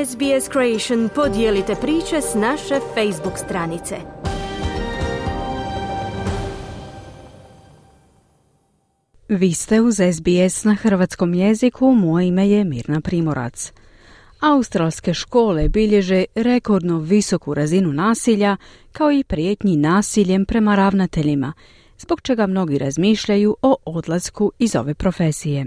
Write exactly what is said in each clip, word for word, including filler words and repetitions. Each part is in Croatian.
S B S Creation podijelite priče s naše Facebook stranice. Vi ste uz S B S na hrvatskom jeziku, moje ime je Mirna Primorac. Australske škole bilježe rekordno visoku razinu nasilja, kao i prijetnji nasiljem prema ravnateljima, zbog čega mnogi razmišljaju o odlasku iz ove profesije.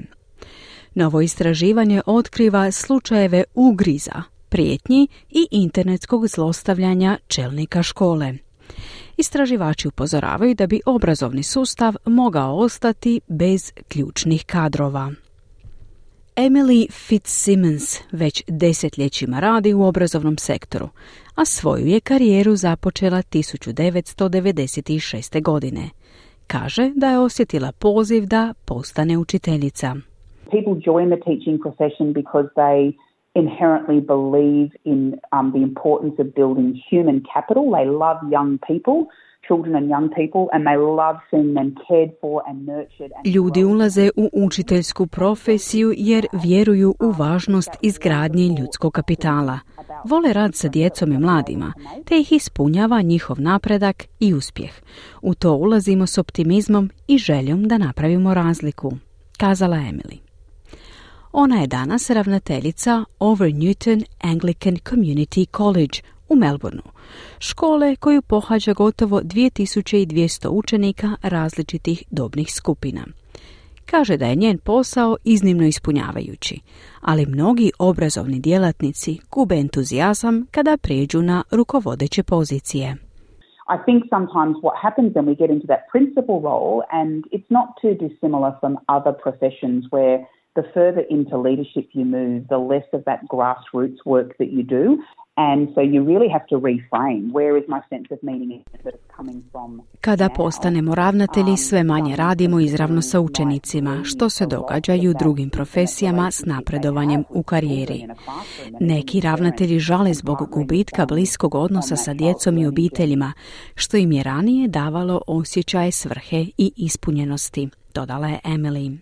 Novo istraživanje otkriva slučajeve ugriza, prijetnji i internetskog zlostavljanja čelnika škole. Istraživači upozoravaju da bi obrazovni sustav mogao ostati bez ključnih kadrova. Emily Fitzsimmons već desetljećima radi u obrazovnom sektoru, a svoju je karijeru započela tisuću devetsto devedeset šeste. godine. Kaže da je osjetila poziv da postane učiteljica. People join the teaching profession because they inherently believe in um, the importance of building human capital. They love young people, children and young people, and they love seeing them cared for and nurtured. And Ljudi ulaze u učiteljsku profesiju jer vjeruju u važnost izgradnje ljudskog kapitala. Vole rad sa djecom i mladima, te ih ispunjava njihov napredak i uspjeh. U to ulazimo s optimizmom i željom da napravimo razliku, kazala Emily. Ona je danas ravnateljica Over Newton Anglican Community College u Melbourneu, škole koju pohađa gotovo dvije tisuće dvjesto učenika različitih dobnih skupina. Kaže da je njen posao iznimno ispunjavajući, ali mnogi obrazovni djelatnici gube entuzijazam kada prijeđu na rukovodeće pozicije. I think sometimes what happens when we get into that principal role, and it's not too dissimilar from other professions where the further into leadership you move, the less of that grassroots work that you do. And so you really have to reframe. Where is my sense of meaning that is coming from? Kada postanemo ravnatelji, sve manje radimo izravno sa učenicima, što se događa i u drugim profesijama s napredovanjem u karijeri. Neki ravnatelji žale zbog gubitka bliskog odnosa sa djecom i obiteljima, što im je ranije davalo osjećaje svrhe i ispunjenosti, dodala je Emily.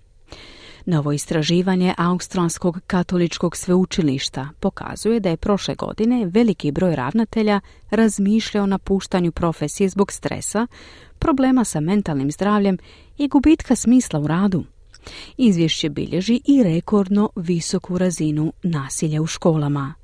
Novo istraživanje Australskog katoličkog sveučilišta pokazuje da je prošle godine veliki broj ravnatelja razmišljao o napuštanju profesije zbog stresa, problema sa mentalnim zdravljem i gubitka smisla u radu. Izvješće bilježi i rekordno visoku razinu nasilja u školama.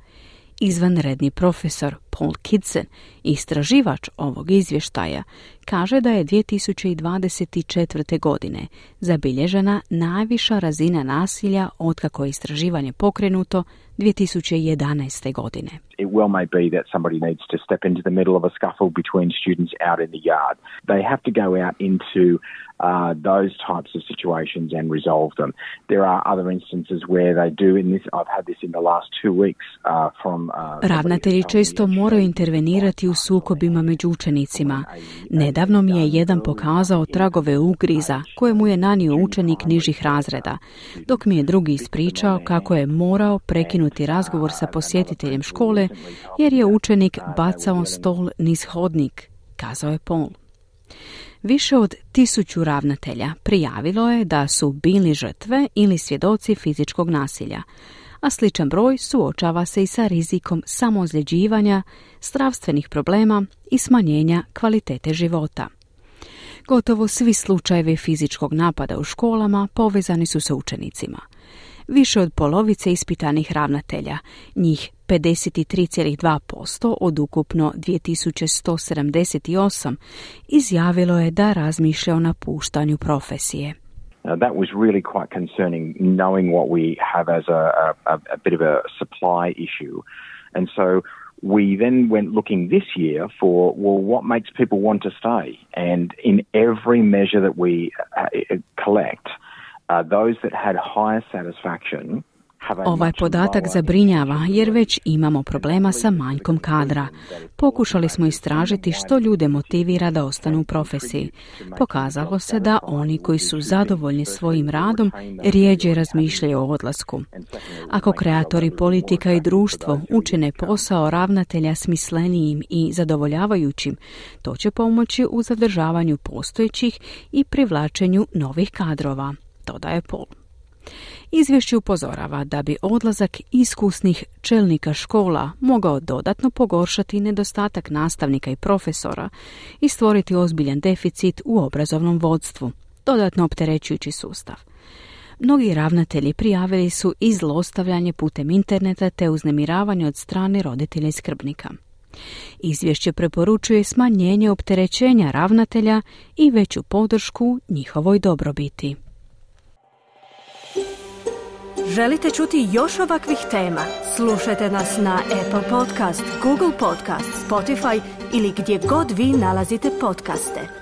Izvanredni profesor Paul Kidson, istraživač ovog izvještaja, kaže da je dvije tisuće dvadeset četvrte. godine zabilježena najviša razina nasilja otkako je istraživanje pokrenuto dvije tisuće jedanaeste. godine. It well may be that somebody needs to step into the middle of a scuffle between students out in the yard. They have to go out into uh, those types of situations and resolve them. There are other instances where they do in this. I've had this in the last two weeks uh, from... Uh, Ravnatelji često moraju intervenirati u sukobima među učenicima. Nedavno mi je jedan pokazao tragove ugriza koje mu je nanio učenik nižih razreda, dok mi je drugi ispričao kako je morao prekinuti razgovor sa posjetiteljem škole jer je učenik bacao stol niz hodnik, kazao je Paul. Više od tisuću ravnatelja prijavilo je da su bili žrtve ili svjedoci fizičkog nasilja, a sličan broj suočava se i sa rizikom samoozljeđivanja, zdravstvenih problema i smanjenja kvalitete života. Gotovo svi slučajevi fizičkog napada u školama povezani su sa učenicima. Više od polovice ispitanih ravnatelja, njih pedeset tri zarez dva posto od ukupno dvije tisuće sto sedamdeset osam, izjavilo je da razmišlja o napuštanju profesije. Uh, that was really quite concerning, knowing what we have as a, a, a bit of a supply issue. And so we then went looking this year for, well, what makes people want to stay? And in every measure that we uh, collect, uh, those that had higher satisfaction. Ovaj podatak zabrinjava jer već imamo problema sa manjkom kadra. Pokušali smo istražiti što ljude motivira da ostanu u profesiji. Pokazalo se da oni koji su zadovoljni svojim radom rijeđe razmišljaju o odlasku. Ako kreatori politika i društvo učine posao ravnatelja smislenijim i zadovoljavajućim, to će pomoći u zadržavanju postojećih i privlačenju novih kadrova, dodaje Paul. Izvješće upozorava da bi odlazak iskusnih čelnika škola mogao dodatno pogoršati nedostatak nastavnika i profesora i stvoriti ozbiljan deficit u obrazovnom vodstvu, dodatno opterećujući sustav. Mnogi ravnatelji prijavili su i zlostavljanje putem interneta te uznemiravanje od strane roditelja i skrbnika. Izvješće preporučuje smanjenje opterećenja ravnatelja i veću podršku njihovoj dobrobiti. Želite čuti još ovakvih tema? Slušajte nas na Apple Podcast, Google Podcast, Spotify ili gdje god vi nalazite podcaste.